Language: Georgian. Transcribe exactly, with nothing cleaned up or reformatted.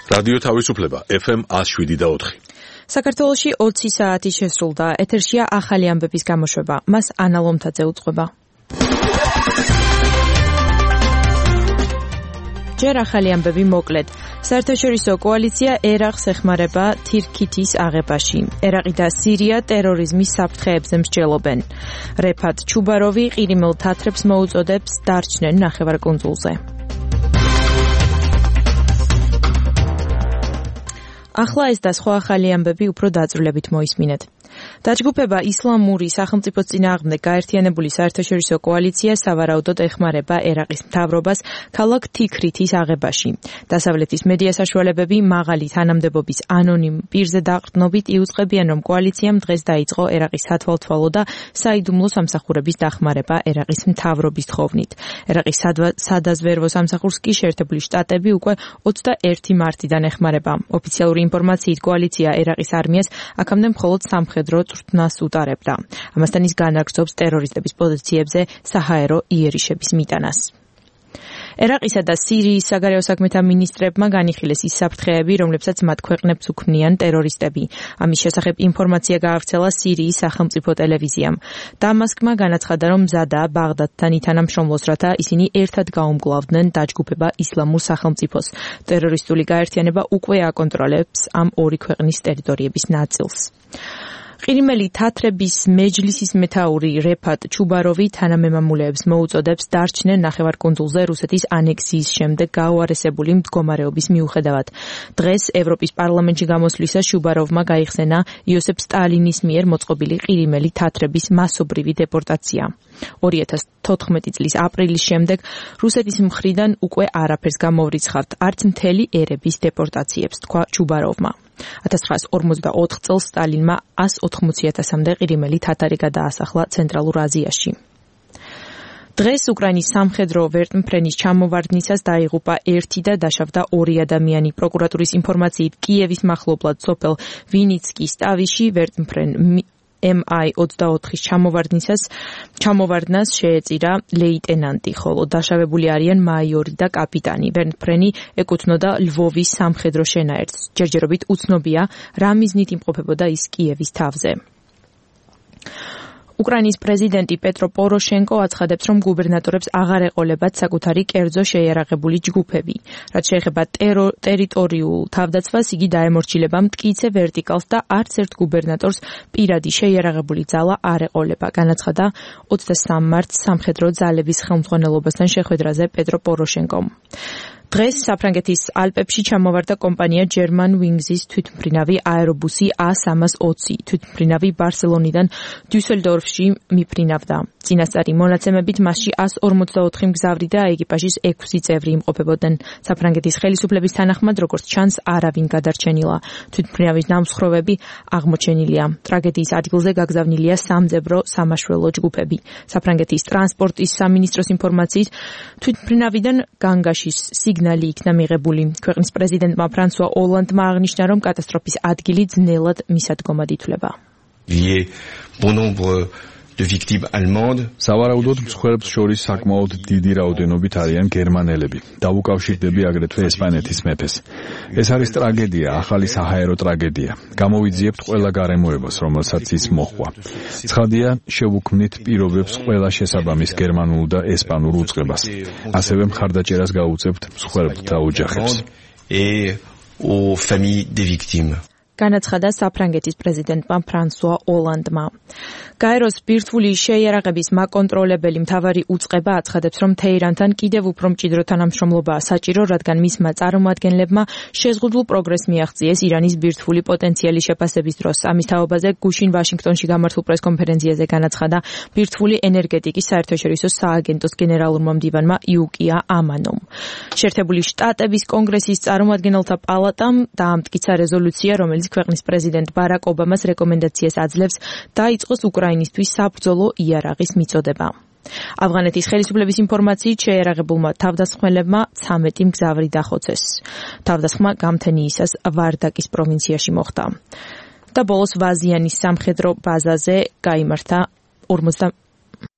რადიო თავისუფლება ეფ ემ one oh seven და four. საქართველოში ოცი საათი შესრულდა. ეთერშია ახალი ამბების გამოშვება. მას ანა ლომთაძე უწყობა. ჯერ ახალი ამბები მოკლედ. საერთაშორისო კოალიცია ერაყს ეხმარება თირქითის აღებაში. ერაყი და სირია ტერორიზმის საფრთხეებზე მსჯელობენ. რეფატ ჩუბაროვი ყირიმელ თათრებს მოუწოდებს დარჩნენ ნახევარკუნძულზე. ახლა ეს და სხვა ახალი ამბები უფრო დაწვრილებით მოისმინეთ. დაჯგუფება ისლამური სახელმწიფოს წინააღმდეგ გაერთიანებული საერთაშორისო კოალიცია სავარაუდოდ ეხმარება ერაყის მთავრობას ქალაქ თიქრითის აღებაში. დასავლეთის მედია საშუალებები მაღალი თანამდებობის ანონიმ პირზე დაყრდნობით იუწყებიან, რომ კოალიციამ დღეს დაიწყო ერაყის სათვალთვალო და საიდუმლო სამსახურების დახმარება ერაყის მთავრობის თხოვნით. ერაყის სადაზვერვო სამსახურს კი შეერთებული შტატები უკვე ოცდაერთი მარტიდან ეხმარება. ოფიციალური ინფორმაციით კოალიცია ერაყის არმიას აქამდე მხოლოდ სამხედრო წვრთნას უტარებდა. ამასთან ის განაგრძობს ტერორისტების პოზიციებზე საჰაერო იერიშების მიტანას. ერაყისა და სირიის საგარეო საქმეთა მინისტრებმა განიხილეს ის საფრთხეები, რომლებსაც მათ ქვეყნებს უქმნიან ტერორისტები. ამის შესახებ ინფორმაცია გაავრცელა სირიის სახელმწიფო ტელევიზიამ. დამასკმა განაცხადა, რომ მზადაა ბაღდადთან ითანამშრომლოს, რათა ისინი ერთად გაუმკლავდნენ დაჯგუფება ისლამურ სახელმწიფოს. ტერორისტული გაერთიანება უკვე აკონტროლებს ამ ორი ქვეყნის ტერიტორიების ნაწილს. ყირიმელი თათრების მეჯლისის მეთაური რეფატ ჩუბაროვი თანამემამულეებს მოუწოდებს დარჩნენ ნახევარკუნძულზე რუსეთის ანექსიის შემდეგ გაუარესებული მდგომარეობის მიუხედავად. დღეს ევროპის პარლამენტში გამოსვლისას ჩუბაროვმა გაიხსენა იოსებ სტალინის მიერ მოწყობილი ყირიმელი თათრების მასობრივი დეპორტაცია. ორი ათას თოთხმეტი წლის აპრილის შემდეგ რუსეთის მხრიდან უკვე არაფერს გამოვრიცხავთ, არც მთელი ერების დეპორტაციებს, თქვა ჩუბაროვმა. ათას ცხრაას ორმოცდაოთხ წელს სტალინმა ას ოთხმოცი ათასამდე ყირიმელი თათარი გადაასახლა ცენტრალურ აზიაში. დღეს უკრაინის სამხედრო ვერტმფრენის ჩამოვარდნისას დაიღუპა ერთი და დაშავდა ორი ადამიანი. პროკურატურის ინფორმაციით კიევის მახლობლად სოფელ ვინიცკის ტავიში ვერტმფრენ ემ აი ოცდაოთხის ჩამოვარდნისას ჩამოვარდნას შეეწირა ლეიტენანტი, ხოლო დაშავებული არიან მაიორი და კაპიტანი. ვერტმფრენი ეკუთვნოდა ლვოვის სამხედრო შენაერთს. ჯერჯერობით უცნობია, რა მიზნით იმყოფებოდა ის კიევის თავზე. უკრაინის პრეზიდენტი პეტრო პოროშენკო აცხადებს, რომ გუბერნატორებს აღარ ეყოლებათ საკუთარი კერძო შეიარაღებული ჯგუფები. რაც შეეხება ტერიტორიულ თავდაცვას, იგი დაემორჩილება მტკიცე ვერტიკალს და არც ერთ გუბერნატორს პირადი შეიარაღებული ძალა არ ეყოლება. განაცხადა ოცდასამ მარტს სამხედრო ძალების ხელმძღვანელობასთან შეხვედრაზე პეტრო პოროშენკომ. დღეს საფრანგეთის ალპებში ჩამოვარდა კომპანია German Wings-ის თვითმფრინავი აერობუსი A three twenty. თვითმფრინავი ბარსელონიდან დიუსელდორფში მიფრინავდა. წინასწარი მონაცემებით მასში ას ორმოცდაოთხი მგზავრი და ეკიპაჟის ექვსი წევრი იმყოფებოდნენ. საფრანგეთის ხელისუფლების თანახმად, როგორც ჩანს, არავინ გადარჩენილა. თვითმფრინავის ნამსხვრევები აღმოჩენილია. ტრაგედიის ადგილზე გაგზავნილია სამძებრო სამაშველო ჯგუფები. საფრანგეთის ტრანსპორტის სამინისტროს ინფორმაციით, თვითმფრინავიდან განგაშის სიგნალი იქნა მიღებული. ქვეყნის პრეზიდენტმა ფრანსუა ოლანდმა აღნიშნა, რომ კატასტროფის ადგილი ძნელად მისადგომად ითვლება. სავარაუდოდ მსხვერპლს შორის საკმაოდ დიდი რაოდენობით არიან გერმანელები. დაუკავშირდები აგრეთვე ესპანეთის მეფეს. ეს არის ტრაგედია, ახალი საჰაერო ტრაგედია. გამოვიძიებთ ყველა გარემოებას, რომელსაც ის მოჰყვა. ცხადია, შევუქმნით პირობებს ყველა შესაბამის გერმანულ და ესპანურ უწყებას. ასევე მხარდაჭერას გაუწევთ მსხვერპლთა ოჯახებს. განაცხადა საფრანგეთის პრეზიდენტმა ფრანსუა ოლანდმა. გაეროს ბირთვული შეიარაღების მაკონტროლებელი მთავარი უწყება აცხადებს, რომ თეირანთან კიდევ უფრო მჭიდრო თანამშრომლობაა საჭირო, რადგან მისმა წარმომადგენლებმა შეზღუდულ პროგრესს მიაღწიეს ირანის ბირთვული პოტენციალის შეფასების დროს. ამის თაობაზე გუშინ ვაშინგტონში გამართულ პრესკონფერენციაზე განაცხადა ბირთვული ენერგეტიკის საერთაშორისო სააგენტოს გენერალურმა მდივანმა იუკია ამანომ. შეერთებული შტატების კონგრესის წარმომადგენელთა პალატამ დაამტკიცა რეზოლუცია, რომელიც ქვეყნის პრეზიდენტ ბარაკ ობამას რეკომენდაციას აძლევს დაიწყოს უკრაინისთვის საბრძოლო იარაღის მიწოდება. ავღანეთის ხელისუფლების ინფორმაციით შეიარაღებულმა თავდამსხმელებმა ცამეტი მგზავრი დახოცეს. თავდასხმა გამთენიისას ვარდაკის პროვინციაში მოხდა. და ბოლოს ვაზიანის სამხედრო ბაზაზე გაიმართა